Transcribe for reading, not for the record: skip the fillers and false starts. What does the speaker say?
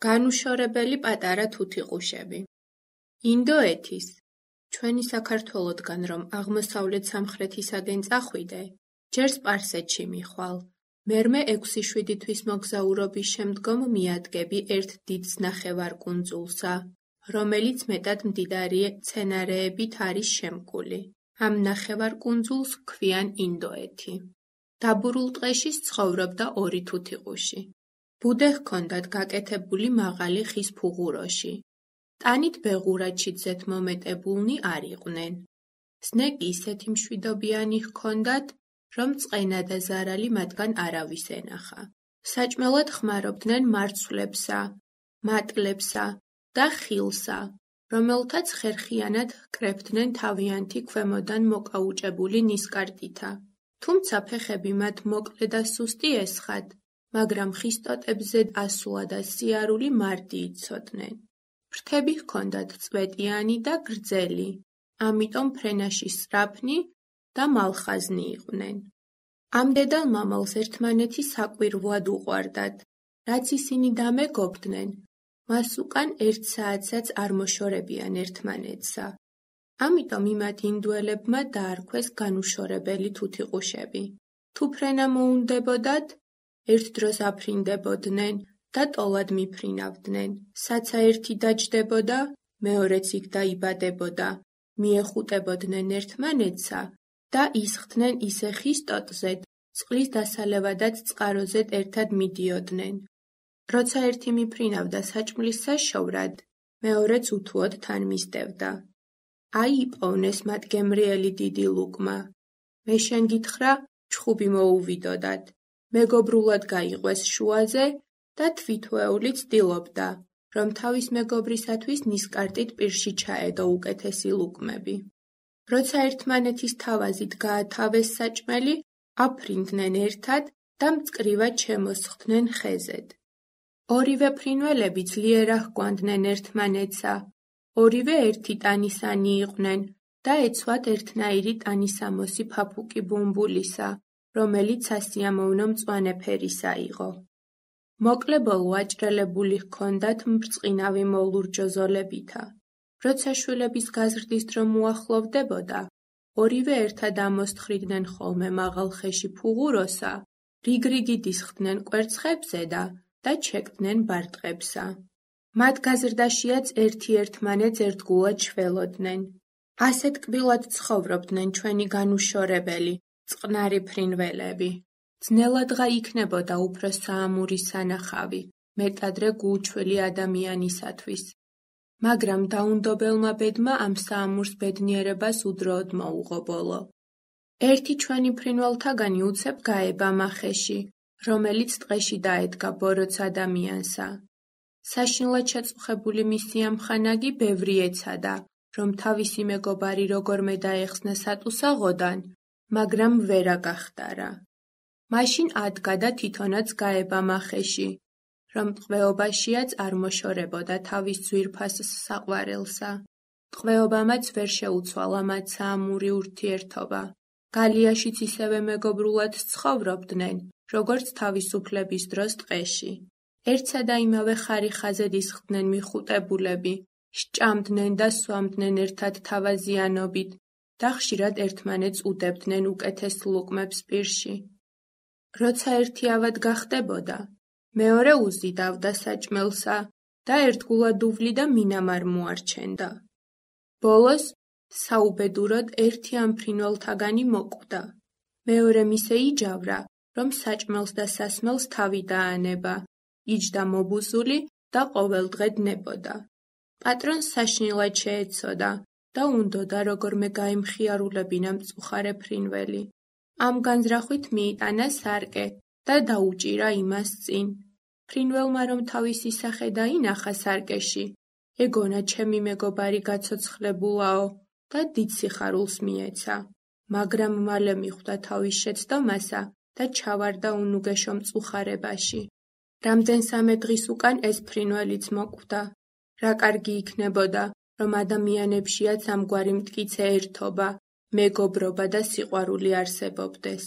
განუშორებელი პატარა თუთიყუშები. ინდოეთის, ჩვენი საქართველოდგან რომ აღმოსავლეთ-სამხრეთისაკენ წახვიდე, ჯერ სპარსეთში მიხვალ, მერმე 6-7 თვის მოგზაურობის შემდგომ მიადგები ერთ დიდ ნახევარკუნძულსა, რომელიც მეტად მდიდარი მცენარეებით არის შემკული. ამ ნახევარკუნძულს ქვიან ინდოეთი. დაბურულ ტყეში ცხოვრობდა 2 თუთიყუში. ბუდე ჰქონდათ გაკეთებული მაღალი ხის ფუღუროში. ტანით ბეღურაჩი ძეთ მომეტებულნი არ იყვნენ. ზნეკი ისეთი მშვიდობიანი ჰქონდათ, რომ წყენა და ზარალი მათგან არავის ენახა. საჭმელად ხმარობდნენ მარცვლებსა, მატლებსა და ხილსა, რომელთაც ხერხიანად ჰკრებდნენ თავიანთი ქვემოდან მოკაუჭებული ნისკარტითა. თუმცა ფეხები მათ მოკლე და სუსტი ესხათ, მაგრამ ხის ტოტებზე ასვლა და სიარული მარდი იცოდნენ. ფრთები ჰქონდათ წვეტიანი და გრძელი, ამიტომ ფრენაში სწრაფნი და მალხაზნი იყვნენ. ამ დედალ მამალს ერთმანეთი საკვირვად უყვარდათ, რაც ისინი დამეგობდნენ, მას უკან 1 საათსაც არ მოშორებიან ერთმანეთსა. ამიტომ იმათ ინდუელებმა დაარქვეს განუშორებელი თუთიყუშები. თუ ფრენა მოუნდებოდათ, ერთ დროს აფრინდებოდნენ და ტოლად მიფრინავდნენ. საცა ერთი დაჯდებოდა, მეორეც იქ დაიბადებოდა, მიეხუტებოდნენ ერთმანეთსა და ისხდნენ ისე ხის ტოტზედ, წყლის დასალევადაც წყაროზედ ერთად მიდიოდნენ. როცა ერთი მიფრინავდა საჭმლის საშოვრად, მეორეც უთუოდ თან მისდევდა. აიპოვნეს მათ გემრიელი დიდი ლუკმა. მე შენ გითხრა, ჩხუბი მოუვიდოდათ. მეგობრულად გაიყვეს შუაზე და თვითვეული ცდილობდა, რომ თავის მეგობრისათვის ნისკარტით პირში ჩაედო უკეთესი ლუკმები. როცა ერთმანეთის თავაზით გაათავეს საჭმელი, აფრინდნენ ერთად და მწკრივად შემოსხდნენ ხეზედ. ორივე ფრინველები ძლიერ აჰგვანდნენ ერთმანეთსა, ორივე ერთი ტანისანი იყვნენ და ეცვათ ერთნაირი ტანისამოსი ფაფუკი ბუმბულისა, რომელიც სასიამოვნო მწვანე ფერისა იყო. მოკლე ბოლო აჭრელებული ჰქონდათ მბრწყინავი მოლურჯო ზოლებითა. როცა შვილების გაზრდის დრო მოახლოვდებოდა, ორივე ერთად ამოსთხრიდნენ ხოლმე მაღალ ხელში ფუღუროსა, რიგ-რიგით ისხდნენ კვერცხებზე და ჩეკდნენ ბარტყებსა. მათ გაზრდაშიაც ერთი ერთმანეთს ერთგულად შველოდნენ. ასეთ კბილად ცხოვრობდნენ ჩვენი განუშორებელი, წყნარი ფრინველები. ძნელადღა იქნებოდა უფრო საამური სანახავი, მეტადრე გულჩველი ადამიანისათვის. მაგრამ დაუნდობელმა ბედმა ამ საამურს ბედნიერებას უდროოდ მოუღო ბოლო. ერთი ჩვენი ფრინველთაგანი უცებ გაება მახეში, რომელიც ტყეში დაედგა ბოროტს ადამიანსა. საშინლად შეწუხებული მისი ამხანაგი ბევრი ეცადა, რომ თავისი მეგობარი როგორმე დაეხსნა სატუსაღოდან, მაგრამ ვერა გახდარა. მაშინ ადგა და თვითონაც გაება მახეში, რომ ტყვეობაშიაც არ მოშორებოდა თავის ძვირფას საყვარელსა. ტყვეობამაც ვერ შეუცვალა მათ საამური ურთიერთობა. გალიაშიც ისევე მეგობრულად ცხოვრობდნენ, როგორც თავისუფლების დროს ტყეში. ერთსა და იმავე ხარიხაზედ ისხდნენ მიხუტებულები, სჭამდნენ და სვამდნენ ერთად თავაზიანობით და ხშირად ერთმანეთს უდებდნენ უკეთეს ლუკმებს პირში. როცა ერთი ავად გახდებოდა, მეორე უზიდავდა საჭმელსა და ერთგულად უვლიდა მინამარ მოარჩენდა. ბოლოს, საუბედუროდ ერთი ამ ფრინველთაგანი მოკვდა. მეორე მისე იჯავრა, რომ საჭმელს და სასმელს თავი დაანება, იჯდა მობუზული და ყოველდღე დებოდა. პატრონს საშინლად შეეცოდა და უნდოდა როგორმე გაემხიარულებინა მწუხარე ფრინველი. ამ განზრახვით მიიტანა სარკე და დაუჭირა იმას წინ. ფრინველმა რომ თავისი სახე დაინახა სარკეში, ეგონა ჩემი მეგობარი გაცოცხლებულაო და დიდ სიხარულს მიეცა. მაგრამ მალე მიხვდა თავის შეცდომასა და ჩავარდა უნუგეშო მწუხარებაში. რამდენსამე დღის უკან ეს ფრინველიც მოკვდა. რა კარგი იქნებოდა, რომ ადამიანებშიაც ამგვარი მტკიცე ერთობა, მეგობრობა და სიყვარული არსებობდეს.